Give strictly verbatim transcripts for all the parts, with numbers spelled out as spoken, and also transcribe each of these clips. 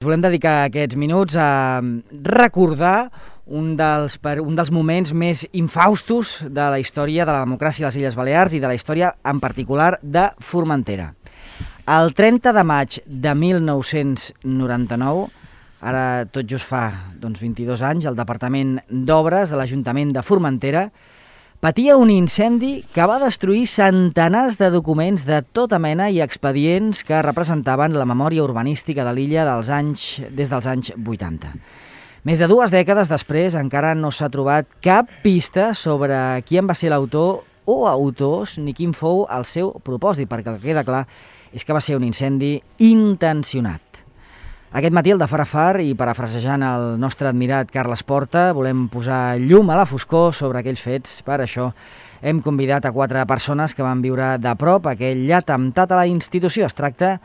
Volem dedicar aquests minuts a recordar un dels, un dels moments més infaustos de la història de la democràcia a les Illes Balears i de la història en particular de Formentera. El trenta de maig de mil nou-cents noranta-nou, ara tot just fa doncs, vint-i-dos anys, el Departament d'Obres de l'Ajuntament de Formentera patia un incendi que va destruir centenars de documents de tota mena i expedients que representaven la memòria urbanística de l'illa dels anys, des dels anys vuitanta. Més de dues dècades després encara no s'ha trobat cap pista sobre qui en va ser l'autor o autors ni quin fou el seu propòsit, perquè el que queda clar és que va ser un incendi intencionat. Aquest matí, el de Far a Far, i parafrasejant el nostre admirat Carles Porta, volem posar llum a la foscor sobre aquells fets. Per això hem convidat a quatre persones que van viure de prop aquell atemptat a la institució. Es tracta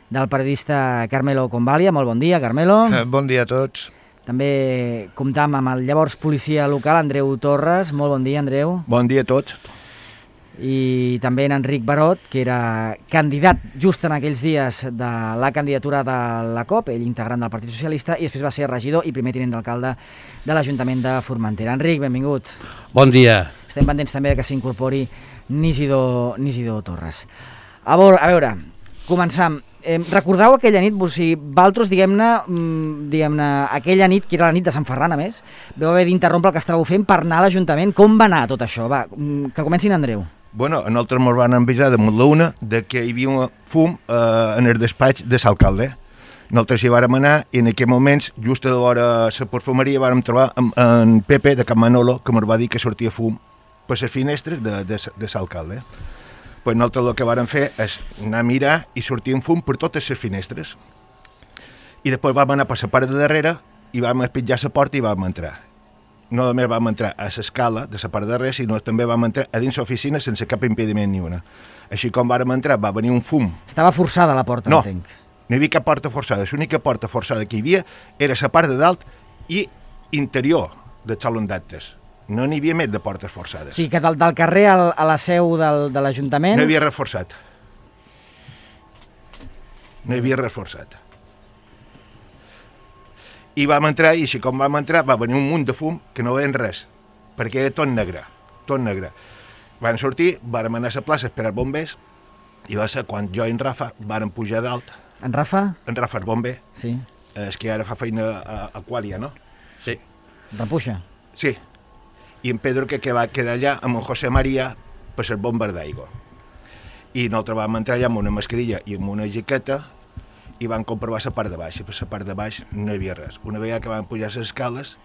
del periodista Carmelo Convalia. Molt bon dia, Carmelo. Eh, bon dia a tots. També comptam amb el llavors policia local, Andreu Torres. Molt bon dia, Andreu. Bon dia a tots. I també en Enric Barot, que era candidat just en aquells dies de la candidatura de la COP, ell integrant del Partit Socialista, i després va ser regidor i primer tinent d'alcalde de l'Ajuntament de Formentera. Enric, benvingut. Bon dia. Estem pendents també que s'incorpori Nisidor, Nisidor Torres. A veure, a veure començam. Eh, recordeu aquella nit, o sigui, vosaltres, diguem-ne, diguem-ne, aquella nit, que era la nit de Sant Ferran, a més, vau haver d'interrompre el que estàveu fent per anar a l'Ajuntament. Com va anar tot això? Va, que comencin, Andreu. Bueno, nosaltres ens van avisar damunt la una de que hi havia un fum eh, en el despatx de l'alcalde. Nosaltres hi vàrem anar i en aquells moments, just a l'hora de la perfumeria, vàrem trobar en, en Pepe de Can Manolo, que ens va dir que sortia fum per les finestres de, de, de l'alcalde. Pues nosaltres el que vàrem fer és anar a mirar i sortir un fum per totes les finestres. I després vam anar per la part de darrere i vam espitjar la porta i vam entrar. No només vam entrar a l'escala de la part de darrere, sinó també vam entrar a dins l'oficina sense cap impediment ni una. Així com vàrem entrar, va venir un fum. Estava forçada la porta, no, entenc. No hi havia cap porta forçada. L'única porta forçada que hi havia era la part de dalt i interior del saló d'actes. No n'hi havia més de portes forçades. O sigui, que del, del carrer al, a la seu del, de l'Ajuntament... No hi havia reforçat. No hi havia reforçat. I vam entrar, i així com vam entrar, va venir un munt de fum que no veien res, perquè era tot negre, tot negre. Van sortir, vàrem anar a la plaça a esperar bombers, i va ser quan jo i en Rafa vàrem pujar dalt. En Rafa? En Rafa, el bomber. Sí. És que ara fa feina a, a Quàlia, no? Sí. Repuxa? Sí. I en Pedro, que, que va quedar allà amb en José María per ser bomber d'aigua. I nosaltres vam entrar allà amb una mascarilla i amb una jaqueta i van comprovar la part de baix, i per la part de baix no hi havia res. Una vegada que vam pujar les escales,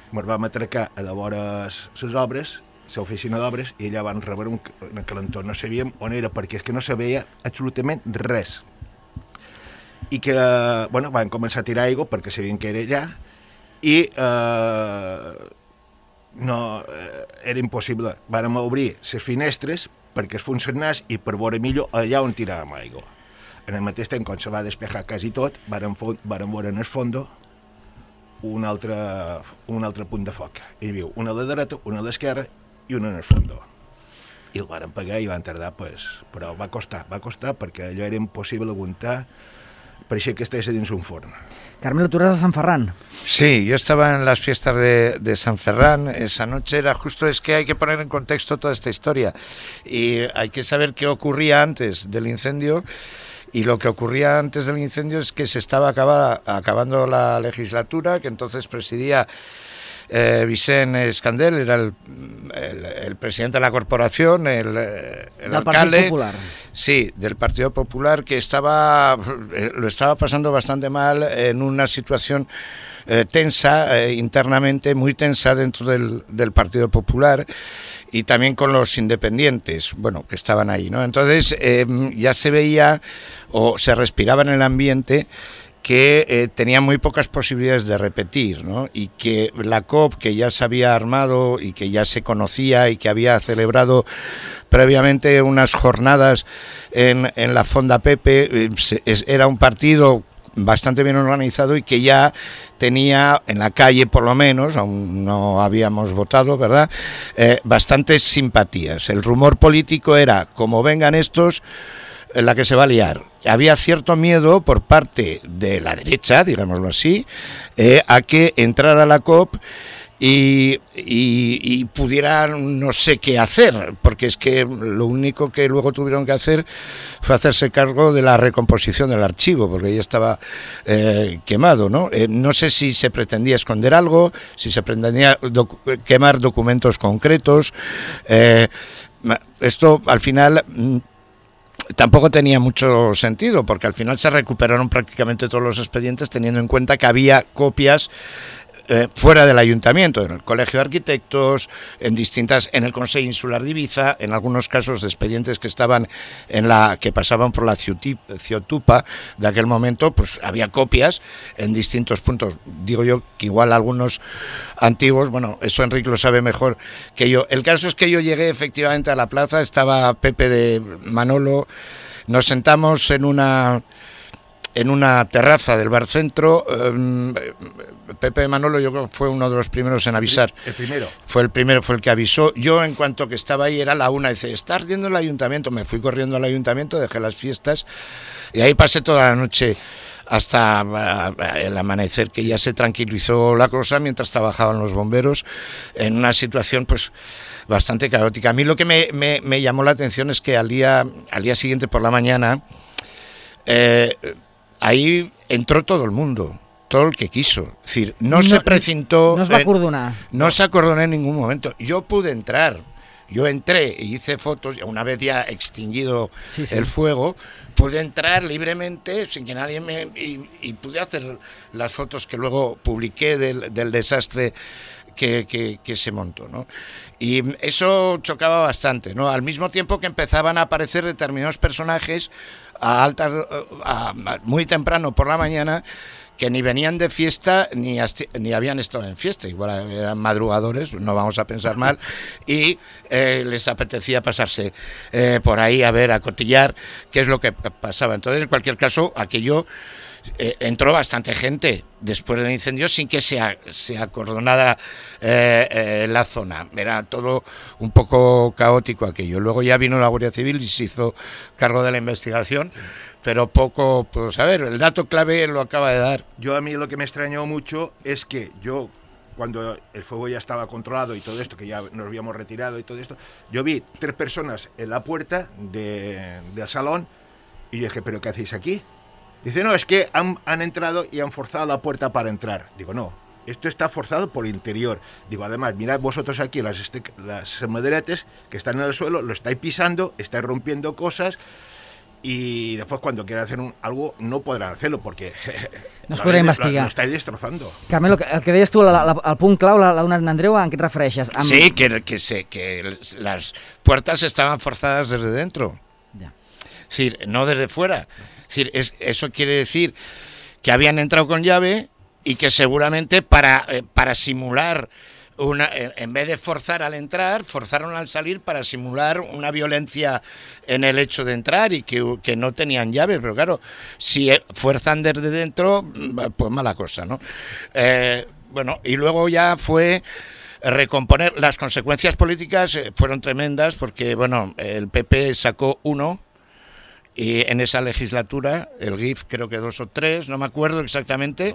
ens vam atracar a vora les obres, l'oficina d'obres, i allà van rebre un, un calentó. No sabíem on era, perquè és que no se veia absolutament res. I que, bueno, van començar a tirar aigua perquè sabien que era allà, i eh, no, eh, era impossible. Vàrem obrir les finestres perquè es funcionés i per veure millor allà on tiràvem aigua. En el mateix temps, quan se va despejar quasi tot, vàrem veure en el fondo un altre, un altre punt de foc. Hi havia una a la dreta, una a l'esquerra i una en el fondo. I el vàrem pagar i van tardar, pues, però va costar, va costar perquè allò era impossible aguantar, pareixia que estigués dins un forn. Carmelo, tú eras de San Ferran. Sí, yo estaba en las fiestas de, de San Ferran. Esa noche era justo, es que hay que poner en contexto toda esta historia. Y hay que saber qué ocurría antes del incendio. Y lo que ocurría antes del incendio es que se estaba acabada, acabando la legislatura, que entonces presidía eh, Vicente Escandel, era el, el, el presidente de la corporación, el, el del alcalde. Partido Popular. Sí, del Partido Popular, que estaba lo estaba pasando bastante mal en una situación eh, tensa, eh, internamente muy tensa dentro del, del Partido Popular, y también con los independientes, bueno, que estaban ahí, ¿no? Entonces eh, ya se veía o se respiraba en el ambiente que eh, tenía muy pocas posibilidades de repetir, ¿no? Y que la COP, que ya se había armado y que ya se conocía y que había celebrado previamente unas jornadas en, en la Fonda Pepe, eh, se, es, era un partido bastante bien organizado y que ya tenía en la calle, por lo menos, aún no habíamos votado, ¿verdad?, eh, bastantes simpatías. El rumor político era, como vengan estos, en la que se va a liar. Había cierto miedo por parte de la derecha, digámoslo así, eh, a que entrara la COP y, y, y pudieran no sé qué hacer, porque es que lo único que luego tuvieron que hacer fue hacerse cargo de la recomposición del archivo, porque ya estaba eh, quemado, ¿no? Eh, no sé si se pretendía esconder algo, si se pretendía docu- quemar documentos concretos. Eh, esto al final tampoco tenía mucho sentido, porque al final se recuperaron prácticamente todos los expedientes, teniendo en cuenta que había copias Eh, fuera del ayuntamiento, en el Colegio de Arquitectos, en distintas, en el Consejo Insular de Ibiza, en algunos casos de expedientes que estaban en la, que pasaban por la Ciotupa de aquel momento, pues había copias en distintos puntos. Digo yo que igual algunos antiguos, bueno, eso Enrique lo sabe mejor que yo. El caso es que yo llegué efectivamente a la plaza, estaba Pepe de Manolo, nos sentamos en una en una terraza del bar centro. eh, Pepe Manolo yo creo que fue uno de los primeros en avisar. El primero. Fue el primero, fue el que avisó. Yo en cuanto que estaba ahí era la una, dice, está ardiendo el ayuntamiento. Me fui corriendo al ayuntamiento, dejé las fiestas y ahí pasé toda la noche hasta el amanecer, que ya se tranquilizó la cosa mientras trabajaban los bomberos en una situación pues bastante caótica. A mí lo que me, me, me llamó la atención es que al día, al día siguiente por la mañana eh, ahí entró todo el mundo, todo el que quiso. Es decir, no, no se precintó. No se va a acordonar. No se acordonó en ningún momento. Yo pude entrar, yo entré y hice fotos, una vez ya extinguido sí, sí. el fuego, pude entrar libremente sin que nadie me... Y, y pude hacer las fotos que luego publiqué del, del desastre que, que, que se montó, ¿no? Y eso chocaba bastante, ¿no? Al mismo tiempo que empezaban a aparecer determinados personajes a altas, a, a, muy temprano por la mañana, que ni venían de fiesta ni, asti- ni habían estado en fiesta, igual eran madrugadores, no vamos a pensar mal, y eh, les apetecía pasarse eh, por ahí a ver, a cotillar qué es lo que pasaba. Entonces, en cualquier caso, aquello eh, entró bastante gente después del incendio sin que se, a, se acordonara eh, eh, la zona. Era todo un poco caótico aquello. Luego ya vino la Guardia Civil y se hizo cargo de la investigación, pero poco, pues a ver, el dato clave lo acaba de dar. Yo a mí lo que me extrañó mucho es que yo, cuando el fuego ya estaba controlado y todo esto, que ya nos habíamos retirado y todo esto, yo vi tres personas en la puerta de, del salón y yo dije, ¿pero qué hacéis aquí? Dice, no, es que han, han entrado y han forzado la puerta para entrar. Digo, no, esto está forzado por interior. Digo, además, mirad vosotros aquí las, este, las maderetes que están en el suelo, lo estáis pisando, estáis rompiendo cosas y después cuando quieran hacer un, algo no podrán hacerlo porque no es podrà investigar. Lo, lo estáis destrozando. Carmelo, el que deies tu, la, la, el punt clau, la, la d'una Andreu, ¿a què et refereixes? Amb... Sí, que, que, sé, que las puertas estaban forzadas desde dentro. Ya. Es decir, no desde fuera. Es decir, es, eso quiere decir que habían entrado con llave y que seguramente para, eh, para simular, una, eh, en vez de forzar al entrar, forzaron al salir para simular una violencia en el hecho de entrar y que, que no tenían llave. Pero claro, si fuerzan desde dentro, pues mala cosa, ¿no? Eh, bueno, y luego ya fue recomponer. Las consecuencias políticas fueron tremendas porque, bueno, el P P sacó uno. Y en esa legislatura, el G I F creo que dos o tres, no me acuerdo exactamente,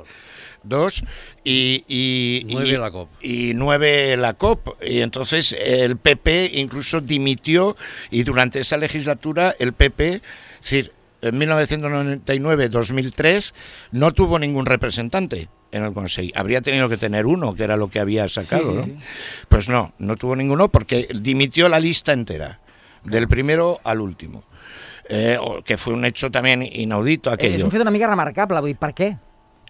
dos, y, y, nueve y, la COP. Y nueve la COP. Y entonces el P P incluso dimitió, y durante esa legislatura el P P, es decir, en mil novecientos noventa y nueve a dos mil tres, no tuvo ningún representante en el Consejo. Habría tenido que tener uno, que era lo que había sacado, sí, sí, ¿no? sí. Pues no, no tuvo ninguno porque dimitió la lista entera, del primero al último. Eh, que fue un hecho también inaudito aquello. És un fet una mica remarcable, vull dir, per què?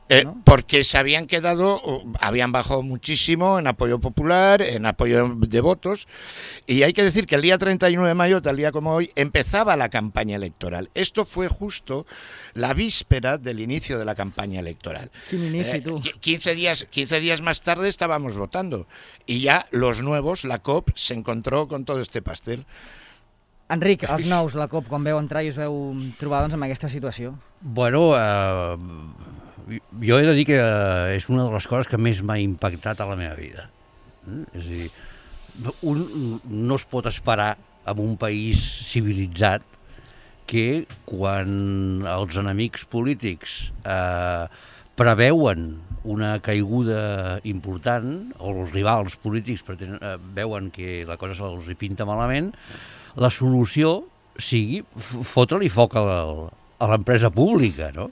Eh, ¿no? Porque se habían quedado, habían bajado muchísimo en apoyo popular, en apoyo de votos, y hay que decir que el día treinta y nueve de mayo, tal día como hoy, empezaba la campaña electoral. Esto fue justo la víspera del inicio de la campaña electoral. Quin inici, Eh, tu. quince días, quince días más tarde estábamos votando, y ya los nuevos, la COP, se encontró con todo este pastel. Enric, els nous, la COP, quan veu entrar i us veu trobar doncs, amb aquesta situació? Bueno, eh, jo he de dir que és una de les coses que més m'ha impactat a la meva vida. Eh? És a dir, un no es pot esperar en un país civilitzat que quan els enemics polítics eh, preveuen una caiguda important, o els rivals polítics pretenen, eh, veuen que la cosa se'ls hi pinta malament, la solució sigui fotre-li foc a la- a l'empresa pública, no?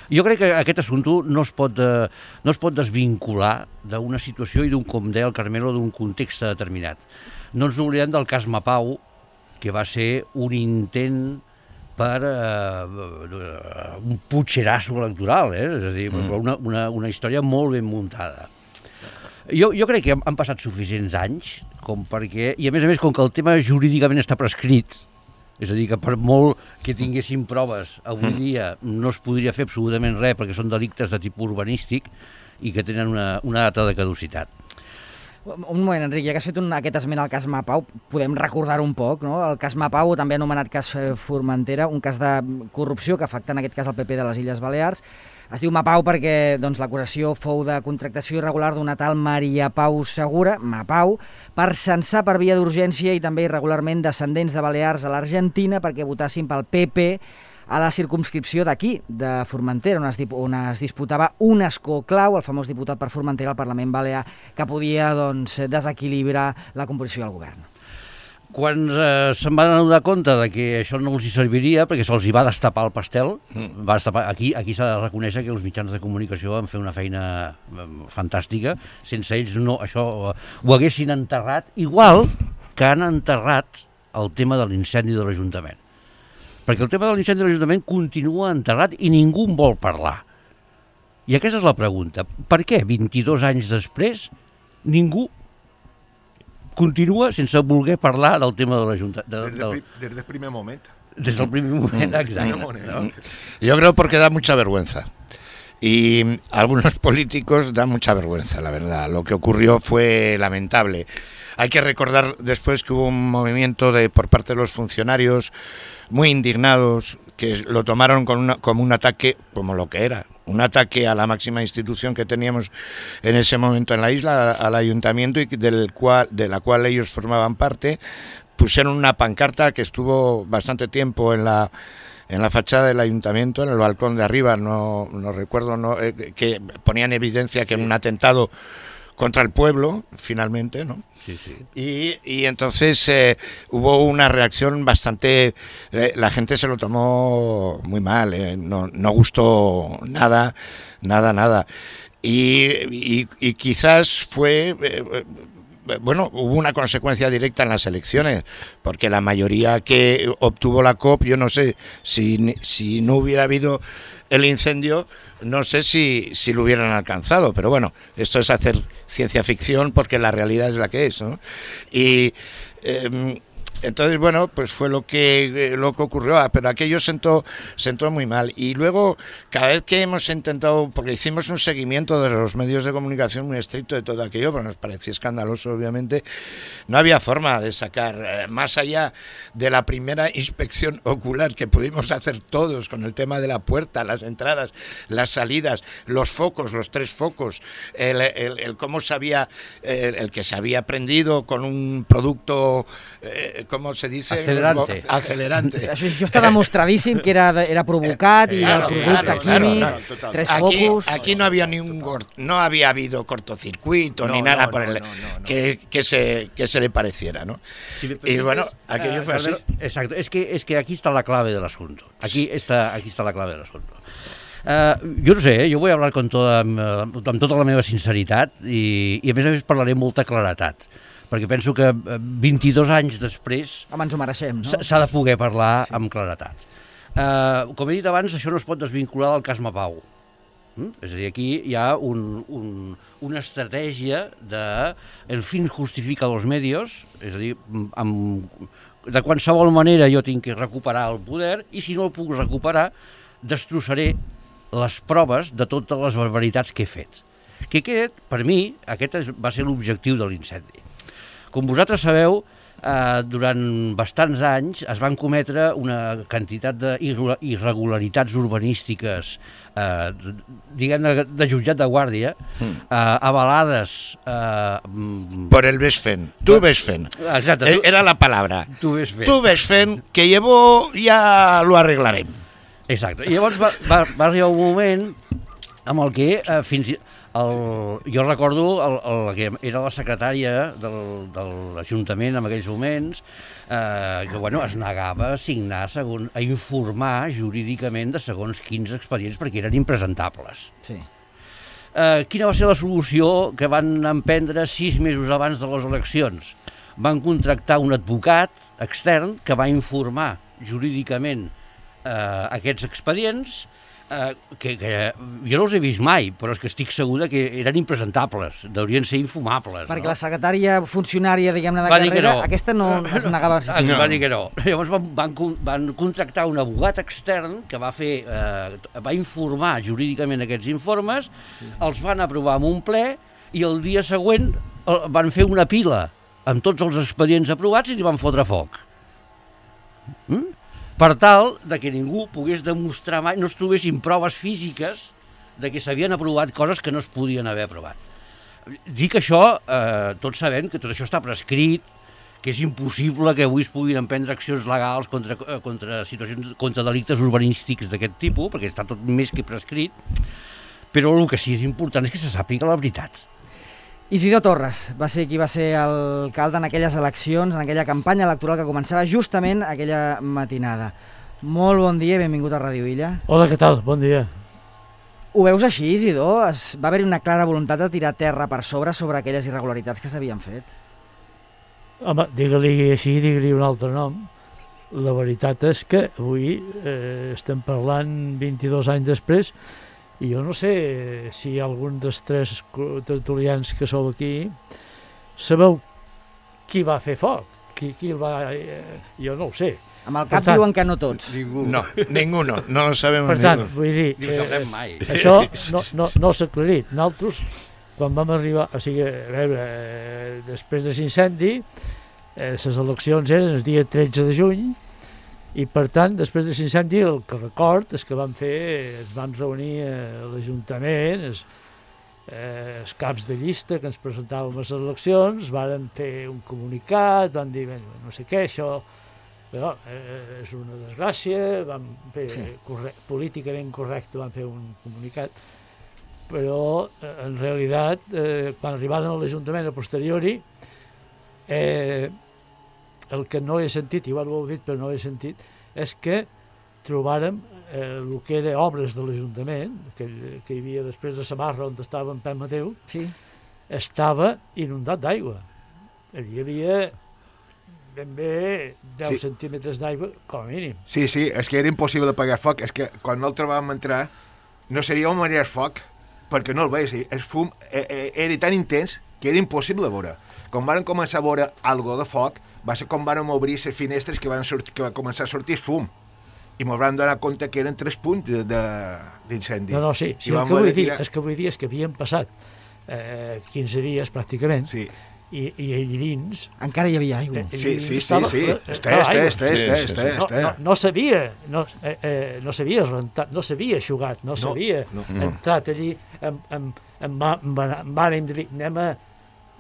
Jo crec que aquest assumpte no es pot, eh, no es pot desvincular d'una situació i d'un, com deia el Carmelo, d'un context determinat. No ens oblidem del cas Mapau, que va ser un intent per eh, un putxerasso electoral, eh? És a dir, mm. una, una, una història molt ben muntada. Jo, jo crec que han, han passat suficients anys com perquè, i a més a més, com que el tema jurídicament està prescrit, és a dir, que per molt que tinguéssim proves avui dia no es podria fer absolutament res perquè són delictes de tipus urbanístic i que tenen una, una data de caducitat. Un moment, Enric, ja que has fet un, aquest esment al cas Mapau, podem recordar un poc, no? El cas Mapau, també anomenat cas Formentera, un cas de corrupció que afecta en aquest cas el P P de les Illes Balears. Es diu Mapau perquè doncs, l'acusació fou de contractació irregular d'una tal Maria Pau Segura, Mapau, per censar per via d'urgència i també irregularment descendents de Balears a l'Argentina perquè votassin pel P P a la circumscripció d'aquí, de Formentera, on es, on es disputava un escó clau, el famós diputat per Formentera al Parlament Balear, que podia doncs, desequilibrar la composició del govern. Quan eh, se'n van adonar compte de que això no els hi serviria, perquè se'ls hi va destapar el pastel, mm. va destapar, aquí, aquí s'ha de reconèixer que els mitjans de comunicació van fer una feina eh, fantàstica, sense ells no, això eh, ho haguessin enterrat, igual que han enterrat el tema de l'incendi de l'Ajuntament. Perquè el tema de l'incendi de l'Ajuntament continua enterrat i ningú en vol parlar. I aquesta és la pregunta. Per què, vint-i-dos anys després, ningú continua sense voler parlar del tema de l'Ajuntament? De, Desde, del... desde el primer moment. Desde el primer moment, exacte. ¿No? Yo creo porque da mucha vergüenza. Y a algunos políticos da mucha vergüenza, la verdad. Lo que ocurrió fue lamentable. Hay que recordar después que hubo un movimiento de por parte de los funcionarios muy indignados, que lo tomaron con una, como un ataque, como lo que era, un ataque a la máxima institución que teníamos en ese momento en la isla, al ayuntamiento, y del cual, de la cual ellos formaban parte. Pusieron una pancarta que estuvo bastante tiempo en la en la fachada del ayuntamiento, en el balcón de arriba, no, no recuerdo, no, eh, que ponían evidencia que era un atentado contra el pueblo, finalmente, ¿no? Sí, sí. Y, y entonces eh, hubo una reacción bastante... Eh, la gente se lo tomó muy mal, eh, no, no gustó nada, nada, nada. Y, y, y quizás fue... Eh, bueno, hubo una consecuencia directa en las elecciones, porque la mayoría que obtuvo la C O P, yo no sé, si, si no hubiera habido el incendio, no sé si, si lo hubieran alcanzado, pero bueno, esto es hacer ciencia ficción porque la realidad es la que es, ¿no? Y eh, entonces, bueno, pues fue lo que lo que ocurrió, pero aquello sentó, sentó muy mal. Y luego, cada vez que hemos intentado, porque hicimos un seguimiento de los medios de comunicación muy estricto de todo aquello, pero nos parecía escandaloso, obviamente, no había forma de sacar, eh, más allá de la primera inspección ocular que pudimos hacer todos con el tema de la puerta, las entradas, las salidas, los focos, los tres focos, el, el, el cómo se había, el, el que se había prendido con un producto... Eh, ¿cómo se dice? Acelerante. Acelerante. Això, això està demostradíssim que era, era provocat i Claro, el producte claro, químic, claro, no. tres Aquí, focus... aquí no había ni un gor- no había habido cortocircuito No, ni nada no, por no, el no, no, no. Que, que se que se le pareciera, ¿no? Si me Y permites, bueno, aquello eh, fue así. Carmelo, exacto, es que, es que aquí está la clave del asunto. Aquí está, aquí está la clave del asunto. Uh, jo no sé, eh? Jo vull hablar con toda, amb, amb tota la meva sinceritat i, i a més a més parlaré amb molta claretat, perquè penso que vint-i-dos anys després Home, ens ho mereixem, no? s'ha de poder parlar sí. amb claretat. Uh, com he dit abans, això no es pot desvincular del cas Mapau. Mm? És a dir, aquí hi ha un, un, una estratègia de el fin justifica los medios, és a dir, amb, de qualsevol manera jo tinc que recuperar el poder i si no el puc recuperar destrossaré les proves de totes les barbaritats que he fet. Que aquest, per mi, aquest va ser l'objectiu de l'incendi. Com vosaltres sabeu, eh, durant bastants anys es van cometre una quantitat d'irregularitats urbanístiques, eh, diguem-ne, de jutjat de guàrdia, eh, avalades... Eh, Por el ves fent. Tu ves fent. Exacte. Tu, Era la palabra. Tu ves fent. Tu ves fent, que llevo ja lo arreglarem. Exacte. I llavors va, va, va arribar un moment amb el que eh, fins... El, jo recordo el, el que era la secretària del, de l'Ajuntament en aquells moments, eh, que bueno, es negava a signar, segon, a informar jurídicament de segons quins expedients perquè eren impresentables. Sí. Eh, quina va ser la solució que van emprendre sis mesos abans de les eleccions? Van contractar un advocat extern que va informar jurídicament eh, aquests expedients, Uh, que, que jo no els he vist mai, però és que estic segura que eren impresentables, deurien ser infumables. Perquè no? la secretària funcionària, diguem-ne, de Va dir que carrera, no. aquesta no, no es negava a no. Va dir que no. Llavors van, van, van contractar un abogat extern que va fer, eh, va informar jurídicament aquests informes, sí. Els van aprovar en un ple i el dia següent van fer una pila amb tots els expedients aprovats i li van fotre foc. Mm? Per tal de que ningú pogués demostrar mai, no es trobessin proves físiques de que s'havien aprovat coses que no es podien haver aprovat. Dic això, eh, tots sabent que tot això està prescrit, que és impossible que avui es puguin emprendre accions legals contra, contra situacions, contra delictes urbanístics d'aquest tipus, perquè està tot més que prescrit, però el que sí és important és que se sàpiga la veritat. Isidor Torres va ser qui va ser alcalde en aquelles eleccions, en aquella campanya electoral que començava justament aquella matinada. Molt bon dia i benvingut a Ràdio Illa. Hola, què tal? Bon dia. Ho veus així, Isidor? Es, va haver-hi una clara voluntat de tirar terra per sobre sobre aquelles irregularitats que s'havien fet? Home, digue-li així, digue-li un altre nom. La veritat és que avui eh, estem parlant vint-i-dos anys després i jo no sé si algun dels tres tertulians que sou aquí sabeu qui va fer foc, qui, qui el va... Eh, jo no ho sé. Amb el cap tant, diuen que no tots. Ningú. No, ningú no, no ho sabem. Per tant, vull dir, Ni ho sabrem mai. Això no, no, no s'ha aclarit. Nosaltres, quan vam arribar, o sigui, a veure, eh, després de l'incendi, eh, les eleccions eren el dia tretze de juny, i per tant, després de l'incendi, el que record és que vam fer, ens vam reunir a l'Ajuntament, els, eh, els caps de llista que ens presentàvem a les eleccions, vàrem fer un comunicat, vam dir, no sé què, això però, eh, és una desgràcia, vam fer sí. corre políticament correcte, vam fer un comunicat, però eh, en realitat, eh, quan arribàvem a l'Ajuntament a posteriori, eh, el que no he sentit, igual ho heu dit però no he sentit, és que trobàrem eh, el que era obres de l'Ajuntament, que, que hi havia després de Samarra on estava en Pep Mateu, sí. Estava inundat d'aigua. Hi havia ben bé deu sí. centímetres d'aigua, com a mínim. Sí, sí, és que era impossible apagar foc, és que quan nosaltres vam entrar no seria on maniar foc, perquè no el veies, el fum eh, era tan intens que era impossible veure. Quan van començar a veure algo de foc, va ser com van obrir les finestres que van, sortir, que va començar a sortir fum. I m'ho van donar compte que eren tres punts d'incendi. No, no, sí, sí el que vull dir és que vull dir és que havien passat eh, quinze dies pràcticament, sí. i, i allà dins... Encara hi havia aigua. Sí, sí, sí, estava, sí. Està, està, està, està, està, està. No, no s'havia no, eh, eh, no s'havia rentat, no s'havia eixugat, no s'havia no, no, no. entrat allí amb, amb, amb, amb, amb ànim de dir, anem a,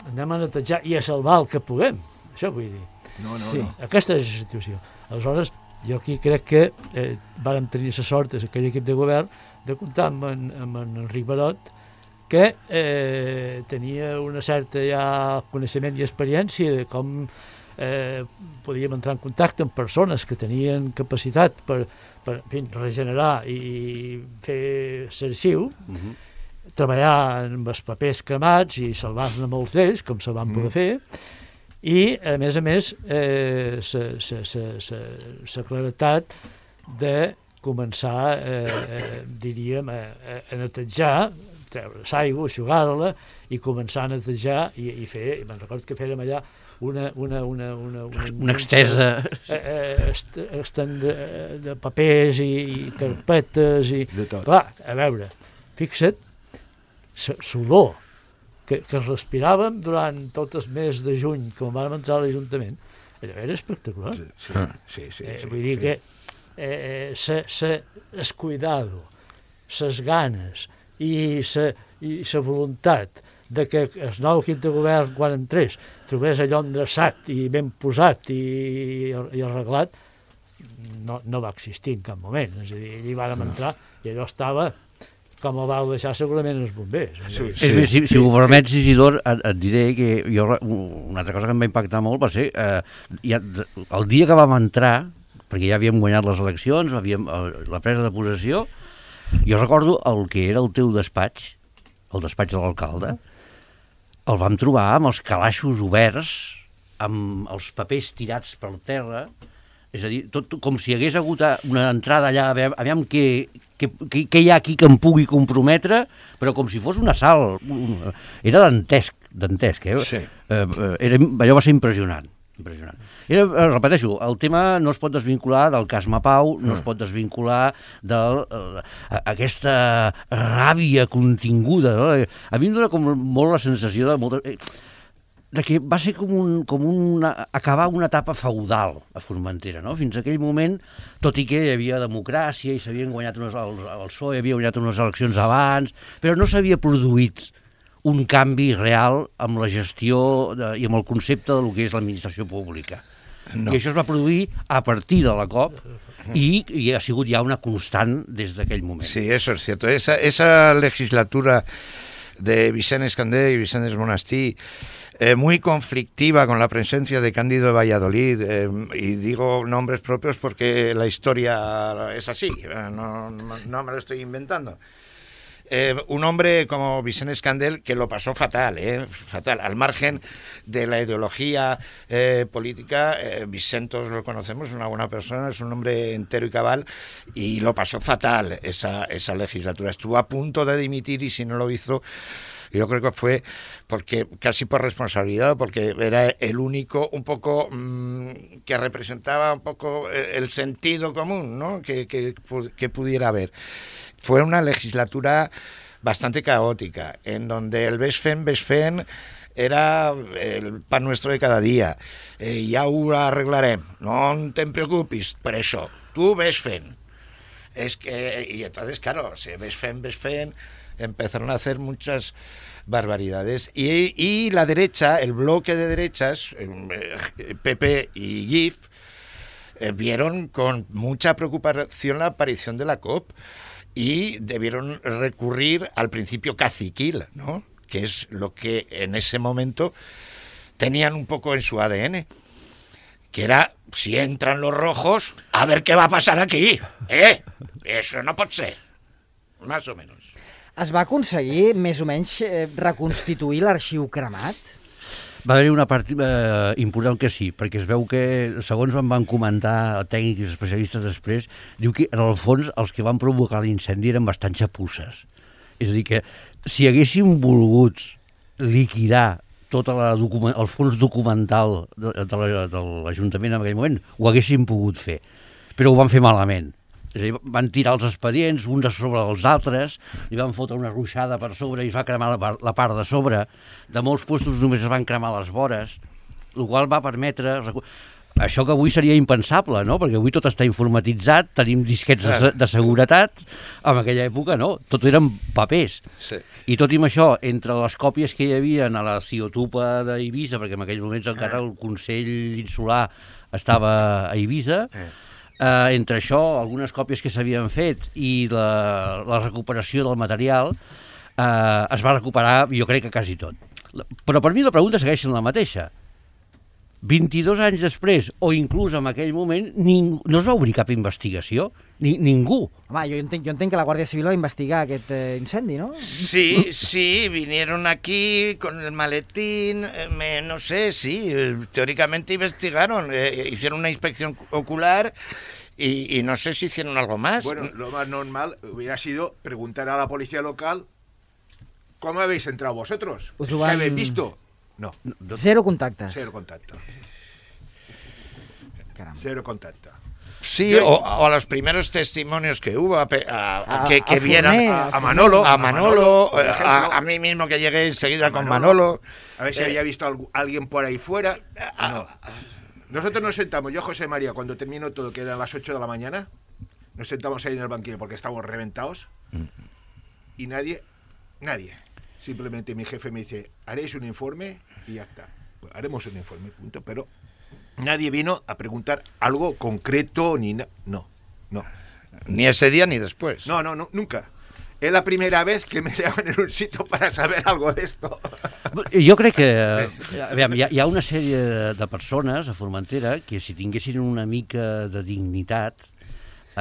anem a netejar i a salvar el que puguem. Això vull dir. No, no, sí, no. Aquesta és la situació. Aleshores, jo aquí crec que eh, vàrem tenir la sort, aquell equip de govern, de comptar amb en, amb en Enric Barot, que eh, tenia una certa ja coneixement i experiència de com eh, podíem entrar en contacte amb persones que tenien capacitat per, per en fi, regenerar i fer l'arxiu, uh-huh. treballar amb els papers cremats i salvar-ne molts d'ells, com se van poder uh-huh. fer, i, a més a més, eh, la claretat de començar, eh, eh, diríem, a, a netejar, treure l'aigua, eixugar-la, i començar a netejar i, i fer, me'n recordo que fèrem allà una... Una, una, una, una, una extesa... Eh, eh, est, estent de, de papers i, i carpetes i... Clar, a veure, fixa't, l'olor que, que respiràvem durant tot el mes de juny, quan vam entrar a l'Ajuntament, allò era espectacular. Sí, sí, sí, sí, eh, sí, vull dir sí. que eh, se, se, es cuidado, ses ganes i sa, i sa voluntat de que el nou equip de govern, quan entrés, trobés allò endreçat i ben posat i, i arreglat, no, no va existir en cap moment. És a dir, allí vàrem entrar i allò estava com ho vau deixar segurament els bombers. Sí, És més, si, si ho permets, Isidor, et, et diré que jo, una altra cosa que em va impactar molt va ser eh, ja, el dia que vam entrar, perquè ja havíem guanyat les eleccions, havíem, la presa de possessió, jo recordo el que era el teu despatx, el despatx de l'alcalde, el vam trobar amb els calaixos oberts, amb els papers tirats per terra, és a dir, tot com si hi hagués hagut una entrada allà, aviam, aviam què, què, què hi ha aquí que em pugui comprometre, però com si fos un assalt. Era dantesc, dantesc, eh? Sí. Eh, era, allò va ser impressionant. impressionant. Era, repeteixo, el tema no es pot desvincular del cas Mapau, no mm. es pot desvincular d'aquesta ràbia continguda. No? A mi em dona com molt la sensació de molta... de que va ser com, un, com una, acabar una etapa feudal a Formentera, no? Fins a aquell moment, tot i que hi havia democràcia i s'havien guanyat unes, el, el P S O E havia guanyat unes eleccions abans, però no s'havia produït un canvi real amb la gestió de, i amb el concepte del que és l'administració pública. No. I això es va produir a partir de la COP i, i ha sigut ja una constant des d'aquell moment. Sí, eso es cierto. Esa, esa legislatura de Vicent Escandé y Vicente Monastí, Eh, muy conflictiva con la presencia de Cándido de Valladolid, eh, y digo nombres propios porque la historia es así, eh, no, no, no me lo estoy inventando. Eh, un hombre como Vicent Escandel que lo pasó fatal, eh, fatal, al margen de la ideología eh, política. eh, Vicent, todos lo conocemos, es una buena persona, es un hombre entero y cabal, y lo pasó fatal esa, esa legislatura. Estuvo a punto de dimitir y si no lo hizo, yo creo que fue porque casi por responsabilidad, porque era el único un poco mmm, que representaba un poco el sentido común, ¿no? que, que, que pudiera haber. Fue una legislatura bastante caótica, en donde el Besfen, Besfen era el pan nuestro de cada día. Eh, ja ho arreglarem, no te preocupis per això, tu Besfen. Es que, y entonces, claro, se Besfen, Besfen, empezaron a hacer muchas barbaridades y, y la derecha, el bloque de derechas, eh, P P y G I F, eh, vieron con mucha preocupación la aparición de la COP y debieron recurrir al principio caciquil, ¿no? Que es lo que en ese momento tenían un poco en su A D N, que era, si entran los rojos, a ver qué va a pasar aquí, ¿eh? Eso no pot ser, más o menos. Es va aconseguir, més o menys, eh, reconstituir l'arxiu cremat? Va haver-hi una part eh, important que sí, perquè es veu que, segons em van comentar tècnics i especialistes després, diu que en el fons els que van provocar l'incendi eren bastant xapusses. És a dir, que si haguéssim volgut liquidar tot la document, el fons documental de, de, de l'Ajuntament en aquell moment, ho haguéssim pogut fer, però ho van fer malament. És a dir, van tirar els expedients uns a sobre els altres, li van fotre una ruixada per sobre i es va cremar la, la part de sobre. De molts puestos només es van cremar les vores, el qual va permetre... Això que avui seria impensable, no? Perquè avui tot està informatitzat, tenim disquets de, de seguretat, en aquella època no, tot eren papers. Sí. I tot i amb això, entre les còpies que hi havia a la Ciotupa d'Eivissa, perquè en aquells moments encara el Consell Insular estava a Eivissa, Uh, entre això, algunes còpies que s'havien fet i la, la recuperació del material, uh, es va recuperar, jo crec que quasi tot. Però per mi la pregunta segueix sent la mateixa. vint-i-dos anys després, o inclús en aquell moment, ning, no es va obrir cap investigació, ni, ningú. Home, jo entenc, jo entenc que la Guàrdia Civil va investigar aquest eh, incendi, ¿no? Sí, sí, vinieron aquí con el maletín, eh, me, no sé, sí, eh, teóricamente investigaron, eh, hicieron una inspección ocular y, y no sé si hicieron algo más. Bueno, lo más normal hubiera sido preguntar a la policía local ¿cómo habéis entrado vosotros? Pues ¿Qué van... habéis visto? No. Cero contactes. Cero contacto. Caramba. Cero contacto. Sí, o, o a los primeros testimonios que hubo, a, a, a, que, que a vieran Forner, a, a Manolo, a Manolo, por ejemplo, a, a mí mismo que llegué enseguida a con Manolo, Manolo. A ver si eh, había visto a alguien por ahí fuera. a, No. Nosotros nos sentamos, yo José María, cuando terminó todo, que eran las ocho de la mañana, nos sentamos ahí en el banquillo porque estábamos reventados y nadie, nadie. Simplemente mi jefe me dice, haréis un informe y ya está. Pues haremos un informe, punto. Pero nadie vino a preguntar algo concreto ni nada. No, no. Ni ese día ni después. No, no, no, nunca. Es la primera vez que me llaman en un sitio para saber algo de esto. Jo crec que aviam, hi, ha, hi ha una sèrie de persones a Formentera que si tinguessin una mica de dignitat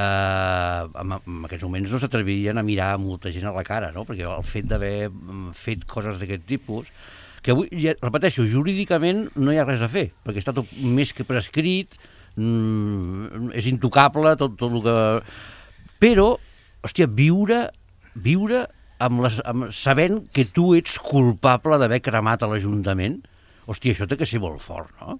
eh, en, en aquests moments no s'atrevirien a mirar molta gent a la cara, no? Perquè el fet d'haver fet coses d'aquest tipus, que avui, ja, repeteixo, jurídicament no hi ha res a fer, perquè està tot més que prescrit, mm, és intocable tot, tot el que... Però, hòstia, viure... viure amb les, amb, sabent que tu ets culpable d'haver cremat a l'Ajuntament, hòstia, això té que ser molt fort, no?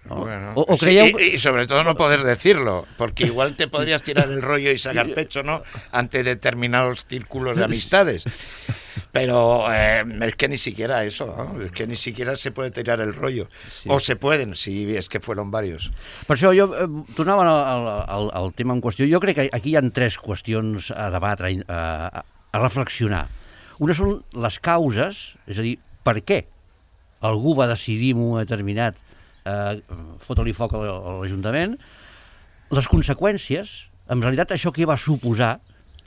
¿No? Bueno, o, o sí, creieu... y, y sobre todo no poder decirlo, porque igual te podrías tirar el rollo y sacar pecho, ¿no? Ante determinados círculos de amistades. Pero eh, es que ni siquiera eso, ¿no? Es que ni siquiera se puede tirar el rollo. Sí. O se pueden, si es que fueron varios. Per això jo eh, tornava al, al, al tema en qüestió. Jo crec que aquí hi ha tres qüestions a debatre, a, a, a reflexionar. Una són les causes, és a dir, per què algú va decidir en un determinat eh, fotre-li foc a l'Ajuntament, les conseqüències, en realitat això què va suposar?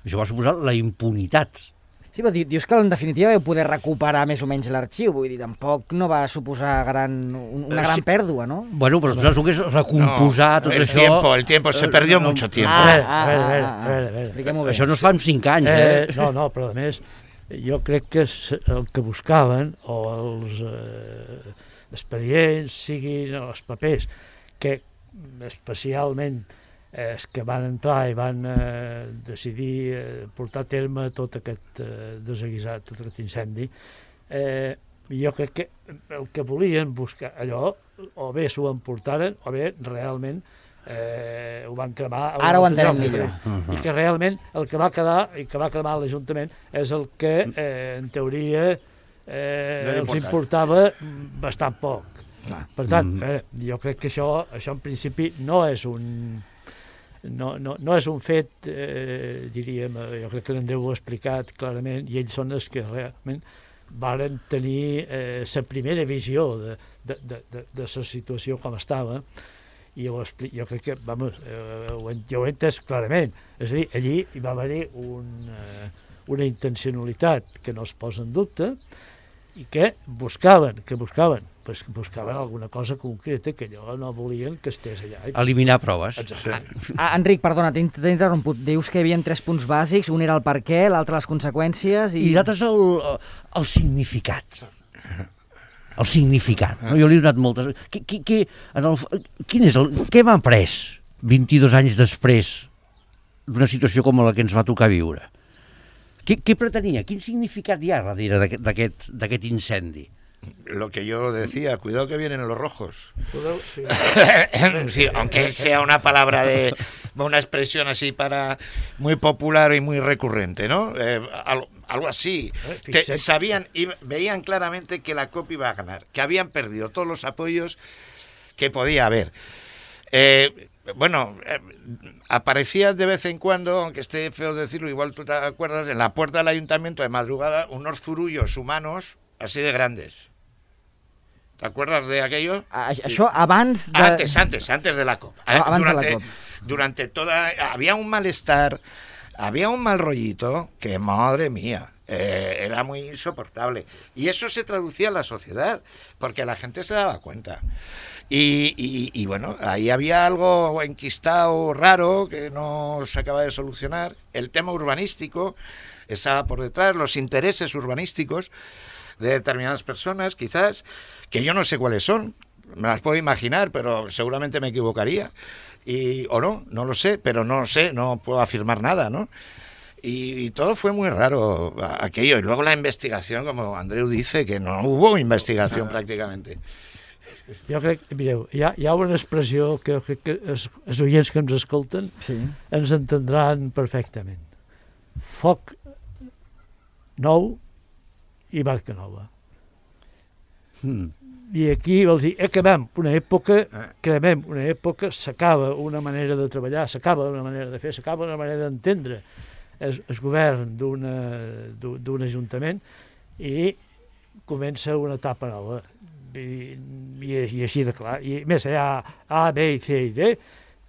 Això va suposar la impunitat. Sí, però dius que en definitiva vau poder recuperar més o menys l'arxiu, vull dir, tampoc no va suposar gran, una gran sí. pèrdua, no? Bueno, però saps el que és recomposar no, tot el això... Tiempo, el tiempo, se perdió no, mucho tiempo. Ah, ah, ah, ah, ah, ah. Expliquem-ho bé. Això no es fa en cinc anys, eh? eh? No, no, però a més, jo crec que el que buscaven, o els eh, expedients, siguin els papers, que especialment és que van entrar i van eh, decidir eh, portar a terme tot aquest eh, desaguisat, tot aquest incendi, eh, jo crec que el que volien buscar allò, o bé s'ho emportaren, o bé realment eh, ho van cremar... Ara ho entenem millor. I que realment el que va quedar, i que va cremar l'Ajuntament, és el que, eh, en teoria, eh, els importava bastant poc. Per tant, eh, jo crec que això, això en principi no és un... No, no, no és un fet, eh, diríem, jo crec que l'Andreu ho ha explicat clarament, i ells són els que realment varen tenir la eh, primera visió de, de, de, de, de la situació com estava, i jo, jo crec que, vamos, eh, ho, jo ho he entès clarament. És a dir, allí hi va haver un, eh, una intencionalitat que no es posa en dubte, i que buscaven, que buscaven, pues buscaven alguna cosa concreta que allò no volien que estés allà. Eliminar proves. Sí. Ah, Enric, perdona, t'he interromput. Dius que hi havia tres punts bàsics, un era el per què, l'altre les conseqüències i... I l'altre és el, el significat. El significat. No? Jo li he donat moltes... Qui, qui, qui, en el, quin és el... Què m'ha après vint-i-dos anys després d'una situació com la que ens va tocar viure? Què, què pretenia? Quin significat hi ha darrere d'aquest incendi? Lo que yo decía, cuidado que vienen los rojos. Sí. Sí, aunque sea una palabra de una expresión así para muy popular y muy recurrente, ¿no? Eh, algo, algo así. Te, sabían y veían claramente que la C O P iba a ganar, que habían perdido todos los apoyos que podía haber. Eh, Bueno, eh, aparecía de vez en cuando, aunque esté feo decirlo, igual tú te acuerdas, en la puerta del ayuntamiento de madrugada, unos zurullos humanos así de grandes. ¿Te acuerdas de aquello? Això abans de... Antes, antes, antes de la C O P. Abans durante, de la C O P. Durante toda... Había un malestar, había un mal rollito que, madre mía, eh, era muy insoportable. Y eso se traducía en la sociedad, porque la gente se daba cuenta. Y, y, y bueno, ahí había algo enquistado raro que no se acaba de solucionar. El tema urbanístico estaba por detrás, los intereses urbanísticos de determinadas personas, quizás, que yo no sé cuáles son, me las puedo imaginar, pero seguramente me equivocaría. Y, o no, no lo sé, pero no lo sé, no puedo afirmar nada, ¿no? Y, y todo fue muy raro aquello. Y luego la investigación, como Andreu dice, que no hubo investigación prácticamente. Jo crec, mireu, hi ha, hi ha una expressió que crec que els, els oients que ens escolten sí. ens entendran perfectament. Foc nou i barca nova. Mm. I aquí vols dir, acabem una època, acabem una època, s'acaba una manera de treballar, s'acaba una manera de fer, s'acaba una manera d'entendre el, el govern d'un ajuntament i comença una etapa nova. I, i, i així de clar. I més, hi ha A, B, C i D,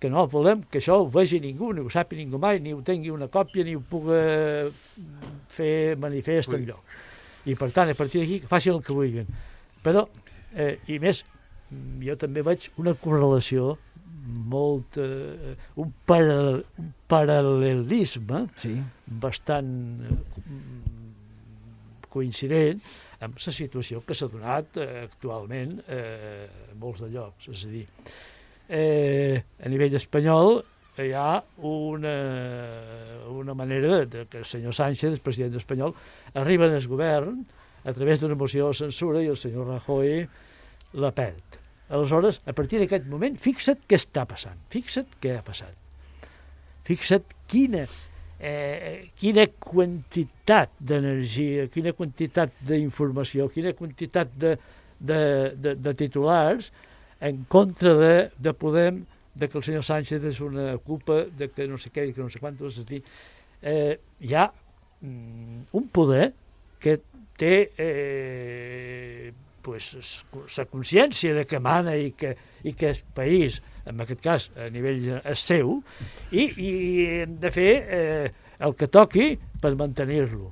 que no volem que això ho vegi ningú, ni ho sàpiga ningú mai, ni ho tingui una còpia, ni ho pugui fer manifest enlloc. I per tant, a partir d'aquí, facin el que vulguin. Però, eh, i més, jo també veig una correlació molt, eh, un, paral un paral·lelisme sí. bastant eh, coincident amb la situació que s'ha donat eh, actualment eh, en molts de llocs. És a dir, eh, a nivell espanyol hi ha una, una manera de, de que el senyor Sánchez, el president espanyol, arriba al govern a través d'una moció de censura i el senyor Rajoy la perd. Aleshores, a partir d'aquest moment, fixa't què està passant, fixa't què ha passat. Fixa't quina, eh, quina quantitat d'energia, quina quantitat d'informació, quina quantitat de, de, de, de titulars en contra de, de Podem, de que el senyor Sánchez és una culpa, de que no sé què, que no sé quantos, és a dir, eh, hi ha mm, un poder que té eh, pues, la consciència de que mana i que, i que el país, en aquest cas a nivell és seu, i, i hem de fer eh, el que toqui per mantenir-lo.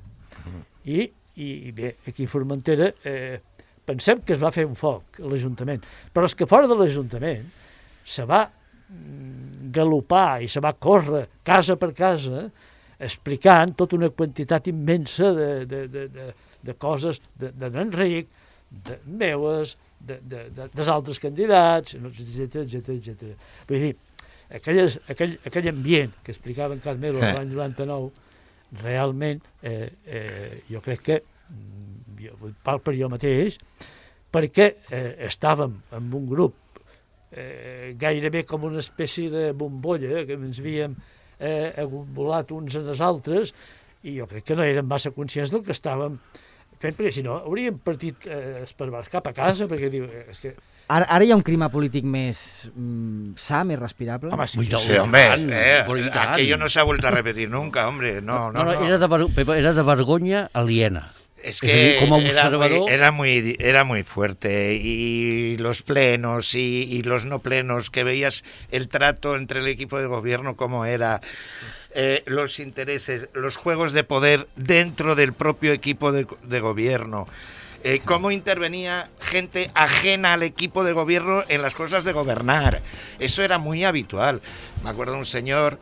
I, I bé, aquí a Formentera eh, pensem que es va fer un foc a l'Ajuntament, però és que fora de l'Ajuntament se va galopar i se va córrer casa per casa explicant tota una quantitat immensa de, de, de, de, de coses de, de n'Enric, de meues, de, de, de, dels altres candidats, etcètera, etcètera, etcètera. Vull dir, aquelles, aquell, aquell ambient que explicava en Carmelo eh. l'any noranta-nou, realment, eh, eh, jo crec que, jo parlo per jo mateix, perquè eh, estàvem en un grup eh, gairebé com una espècie de bombolla, que ens havíem eh, volat uns en els altres, i jo crec que no érem massa conscients del que estàvem fent, perquè si no hauríem partit eh, esparvats cap a casa, perquè diu... És que... Ara, ara hi ha un clima polític més mm, sa, més respirable? Home, sí, sí, sí, hombre, eh, aquello no se ha vuelto a repetir nunca, hombre, no, no, no. no, no. Era, de ver, era de vergonya aliena. Es que es decir, como observador... era, muy, era, muy, era muy fuerte, y los plenos y, y los no plenos, que veías el trato entre el equipo de gobierno, cómo era, eh, los intereses, los juegos de poder dentro del propio equipo de, de gobierno, eh, cómo intervenía gente ajena al equipo de gobierno en las cosas de gobernar. Eso era muy habitual. Me acuerdo de un señor,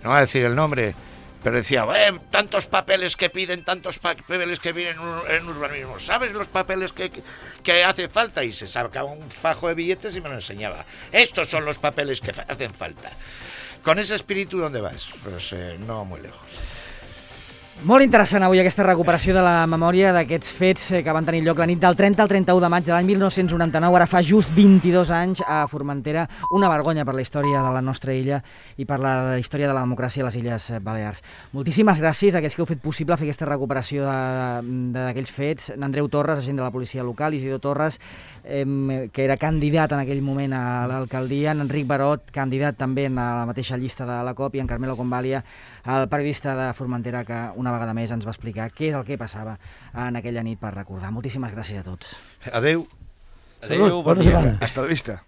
no voy a decir el nombre, pero decía, eh, tantos papeles que piden, tantos papeles que vienen en urbanismo, ¿sabes los papeles que, que, que hace falta? Y se sacaba un fajo de billetes y me lo enseñaba. Estos son los papeles que hacen falta. Con ese espíritu, ¿dónde vas? Pues eh, no muy lejos. Molt interessant avui aquesta recuperació de la memòria d'aquests fets que van tenir lloc la nit del trenta al trenta-u de maig de l'any mil nou-cents noranta-nou, ara fa just vint-i-dos anys a Formentera, una vergonya per la història de la nostra illa i per la història de la democràcia a les Illes Balears. Moltíssimes gràcies a aquells que heu fet possible fer aquesta recuperació d'aquells fets. Andreu Torres, agent de la policia local, Isidro Torres, eh, que era candidat en aquell moment a l'alcaldia, en Enric Barot, candidat també a la mateixa llista de la COP, i en Carmelo Convalia, el periodista de Formentera, que una una vegada més ens va explicar què és el que passava en aquella nit per recordar. Moltíssimes gràcies a tots. Adéu. Adéu, bon dia. Hasta la vista.